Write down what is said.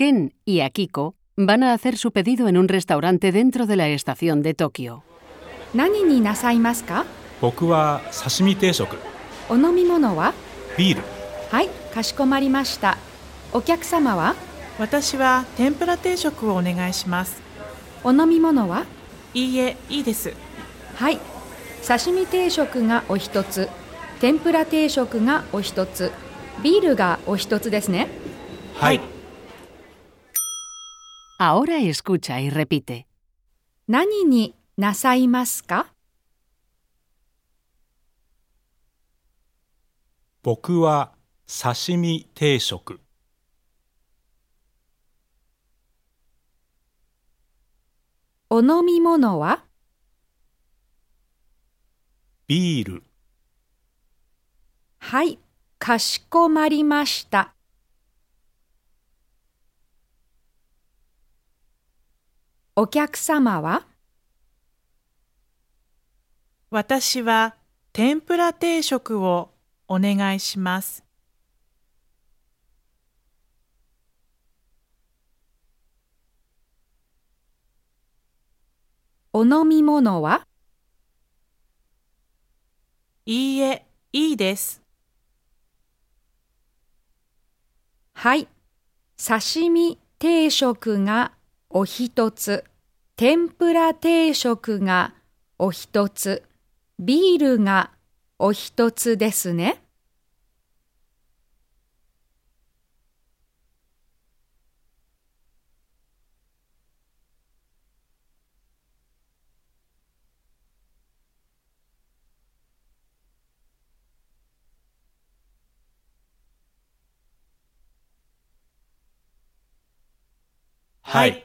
Ken y Akiko van a hacer su pedido en un restaurante dentro de la estación de Tokio. 何になさいますか？僕は刺身定食。お飲み物は？ビール。はい、かしこまりました。お客様は？私は天ぷら定食をお願いします。お飲み物は？いいえ、いいです。はい、刺身定食がお一つ、天ぷら定食がお一つ、ビールがお一つですね。はい。Ahora escucha y repite. 何になさいますか？僕は刺身定食。お飲み物は？ビール。はい、かしこまりました。お客様は？私は天ぷら定食をお願いします。お飲み物は？いいえ、いいです。はい、刺身定食がお一つ、天ぷら定食がお一つ、ビールがお一つですね。はい。